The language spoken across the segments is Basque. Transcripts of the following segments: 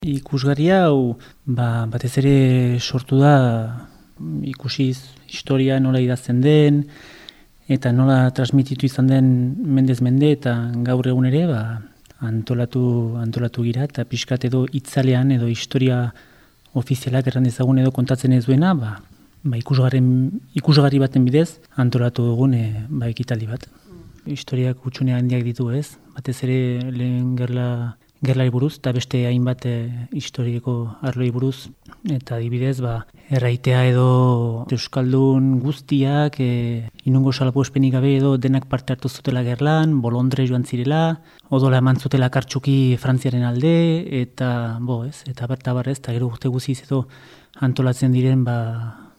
Ikusgarria hau batez ere sortu da ikusiz historia nola idazten den eta nola transmititu izan den mendez mende eta gaur egun ere antolatu gira eta pixkat edo itzalean edo historia ofizialak erran ezagun edo kontatzen ez duena ikusgarri baten bidez antolatu dugun ekitaldi bat. Historiak utxune handiak ditu ez, batez ere lehen gerlari buruz, eta beste hainbat historiko arloi buruz, eta adibidez, erraitea edo euskaldun guztiak, inungo salbuespenik gabe edo denak parte hartu zutela gerlan, bolondre joan zirela, odola eman zutela kartxuki Frantziaren alde, eta gero urte guziz edo antolatzen diren,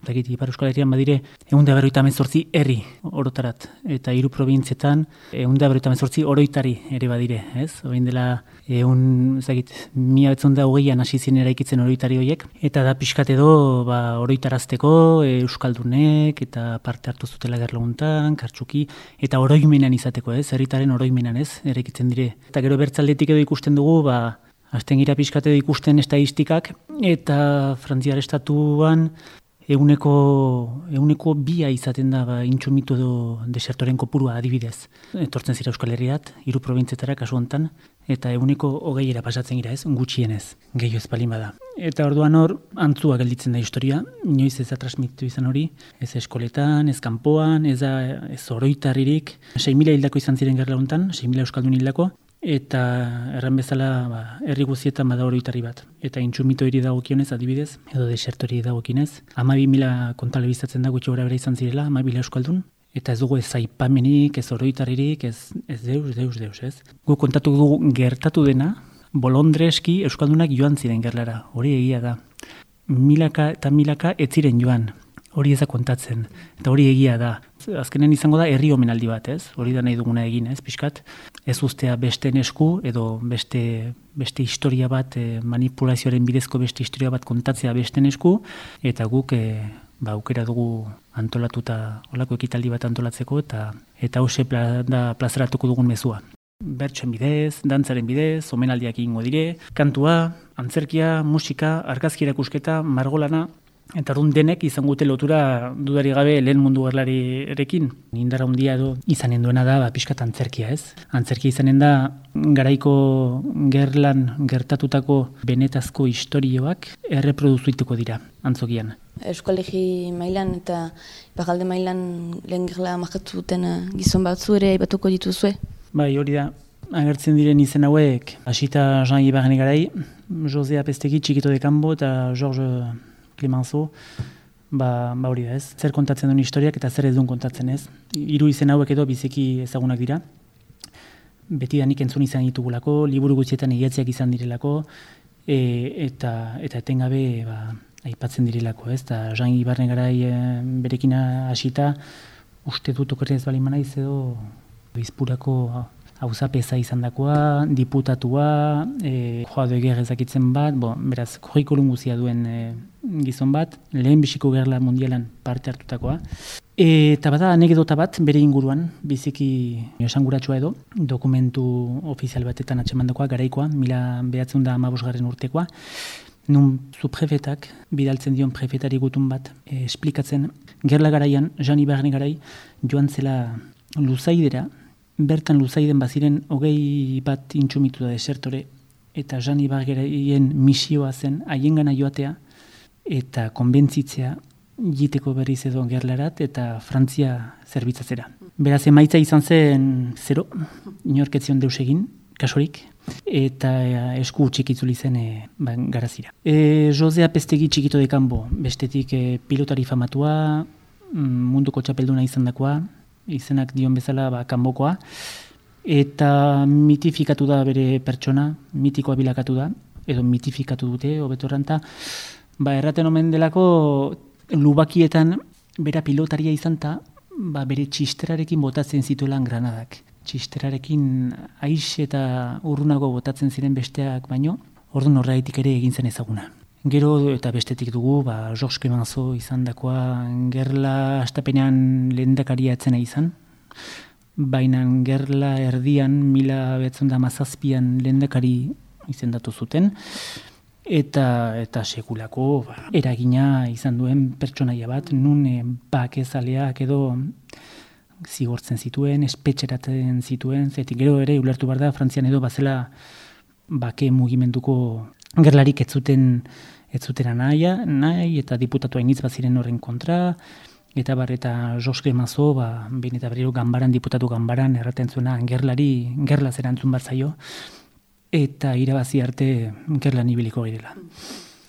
Ipar Euskal Herrian badire 158 herri orotarat eta 3 probintzietan 158 oroitari ere badire, ez? Orain dela 1920an hasi ziren eraikitzen oroitari horiek eta da pixkat edo oroitarazteko euskaldunek eta parte hartu zutela gerlaguntan, kartxuki eta oroimenan izateko, ez? Herritaren oroimenan, ez? Eraikitzen dire. Eta gero bertzaldetik edo ikusten dugu, hasten gira pixkat edo ikusten estadistikak eta Frantziar estatuan eguneko bia izaten da intsumitu edo desertoren kopurua adibidez. Etortzen zira Euskal Herriat, 3 probintzetara kasu hontan, eta eguneko 20 pasatzen gira ez, gutxienez, gehiago ez palin bada. Eta orduan hor, antzua gelditzen da historia, inoiz ez da transmititu izan hori, ez eskoletan, ez kanpoan, ez oroitaririk, 6.000 hildako izan ziren gerla hontan, 6.000 euskaldun hildako, eta erran bezala herri guztietan bada oroitari bat. Eta intsumito hiri dagokionez adibidez, edo desertori dagokionez, 12.000 kontalebizatzen da gutxi gora bera izan zirela, 12.000 euskaldun, eta ez dugu ez aipamenik, ez oroitaririk, ez deus, ez? Gu kontatu dugu gertatu dena, bolondreski euskaldunak joan ziren gerlara, hori egia da. Milaka eta milaka ez ziren joan, hori ez da kontatzen, eta hori egia da. Azkenen izango da herri omenaldi bat, ez? Hori da nahi duguna egin, ez? Pixkat, ez ustea beste esku edo beste historia bat, manipulazioaren bidezko beste historia bat kontatzea beste esku, eta guk aukera dugu antolatuta olako ekitaldi bat antolatzeko, eta hause plazaratuko dugun mezua. Bertsoen bidez, dantzaren bidez, omenaldiak egingo dire, kantua, antzerkia, musika, argazki erakusketa, margolana, eta orduan denek izango dute lotura dudari gabe lehen mundu gerlarekin. Indar handia edo izanen duena da pixkat antzerkia, ez? Antzerkia izanen da garaiko gerlan gertatutako benetazko istorioak erreproduzuituko dira antzokian. Euskolegi mailan eta iparralde mailan lehen gerla markatu duten gizon batzu ere aipatuko dituzue? Bai, hori da. Agertzen diren izen hauek, hasita Jean Ibarren garai, Jose Apestegi, Txikito de Cambo eta George Clemenceau, hori da ez. Zer kontatzen duen historiak eta zer ez duen kontatzen ez. 3 izen hauek edo biziki ezagunak dira. Betidanik entzun izan ditugulako, liburu gutxietan egiatziak izan direlako, eta etengabe aipatzen direlako ez. Eta Jean Ibarren garai berekin hasita, uste dut okerrez bali manaiz edo Bizpurako hauzapeza izan dakoa, diputatua, joa doeger ezakitzen bat, beraz, kurrikulum guzia duen gizon bat, lehen bisiko gerla mundialan parte hartutakoa. Eta bada anekdota bat, bere inguruan, biziki esanguratsua edo, dokumentu ofizial batetan atxemandakoa, garaikoa, 1915 urtekoa, nun subprefetak, bidaltzen dion prefetari gutun bat, esplikatzen, gerla garaian, Jean Ibarren garai, joan zela Luzaidera, bertan Luzaiden baziren 20 bat intsumitu da desertore, eta Jean Ibarren misioa zen haiengana joatea, eta konbentzitzea jiteko berriz edo gerlarat, eta Frantzia zerbitzatzera. Beraz, emaitza izan zen 0, inorketzion deus egin, kasurik, eta esku txikitzuli zen garazira. Jose Apestegi Txikito de Cambo, bestetik pilotari famatua, munduko txapelduna izan dakoa, izenak dion bezala kanbokoa, eta mitifikatu da bere pertsona, mitikoa bilakatu da, edo mitifikatu dute, hobeto erranta, erraten omen delako lubakietan bera pilotaria izan ta, bere txisterarekin botatzen zituelan granadak. Txisterarekin aiz eta urrunago botatzen ziren besteak baino, orduan horregatik ere egin zen ezaguna. Gero eta bestetik dugu, George Clemenceau izan dakoa gerla astapenean lehendakaria etzena izan, baina gerla erdian 1917an lehendakari izendatu zuten, eta sekulako eragina izan duen pertsonaia bat, nun bakezaleak edo zigortzen zituen, espetxeratzen zituen, zetik gero ere ulertu behar da, Frantzian edo bazela bake mugimenduko gerlarik ez zuten nahi eta diputatu hainitz baziren horren kontra, eta Jos Clemenceau, behin eta berriro diputatu ganbaran erraten zuena gerla zerantzun bat zaio, eta irabazi arte gerlan ibiliko girela.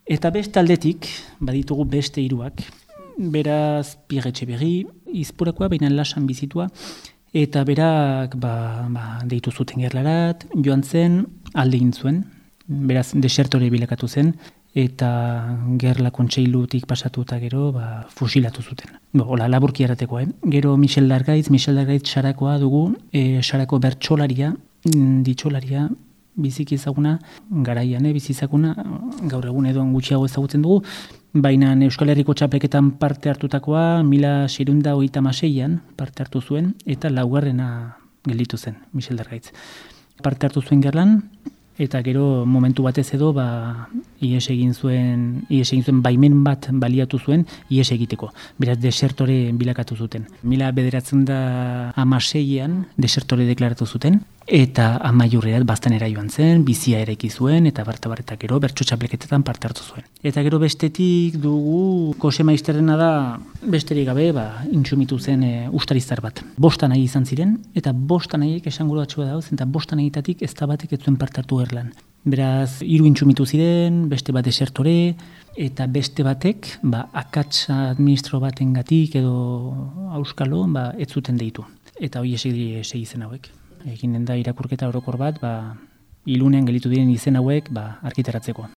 Eta beste aldetik, baditugu beste hiruak, beraz Pierre Etxeberri, izpurakoa, baina lasan bizitua, eta berak deitu zuten gerlarat, joan zen, alde egin zuen, beraz desertore bilakatu zen, eta gerla kontseilutik pasatu eta gero fusilatu zuten. Hola, laburki errateko, Gero Michel Dargaitz Sarakoa dugu, Sarako bertsolaria, ditxolaria, biziki ezaguna, garaian bizizaguna, gaur egun edo gutxiago ezagutzen dugu, baina Euskal Herriko txapelketan parte hartutakoa 1636an parte hartu zuen, eta laugarrena gelditu zen, Michel Dargaitz. Parte hartu zuen gerlan, eta gero momentu batez edo ihes egin zuen baimen bat baliatu zuen ihes egiteko. Beraz desertore bilakatu zuten. 1916an desertore deklaratu zuten, eta amaiurrerat Baztanera joan zen, bizia eraiki zuen, eta barta gero bertso txapelketetan parte hartu zuen. Eta gero bestetik dugu Kose Maisterrena da besterik gabe intsumitu zen ustarizar bat. 5 nahi izan ziren, eta 5 nahiek esanguratxua dauz, eta 5 nahietatik ez da batek ez zuen parte hartu gerlan. Beraz, 3 intsumitu ziren, beste bat desertore, eta beste batek, akats administro batengatik edo auskalo, ez zuten deitu. Eta hori esegi zen hauek. Eginen da irakurketa orokor bat, ilunean gelitu diren izen hauek argitaratzeko.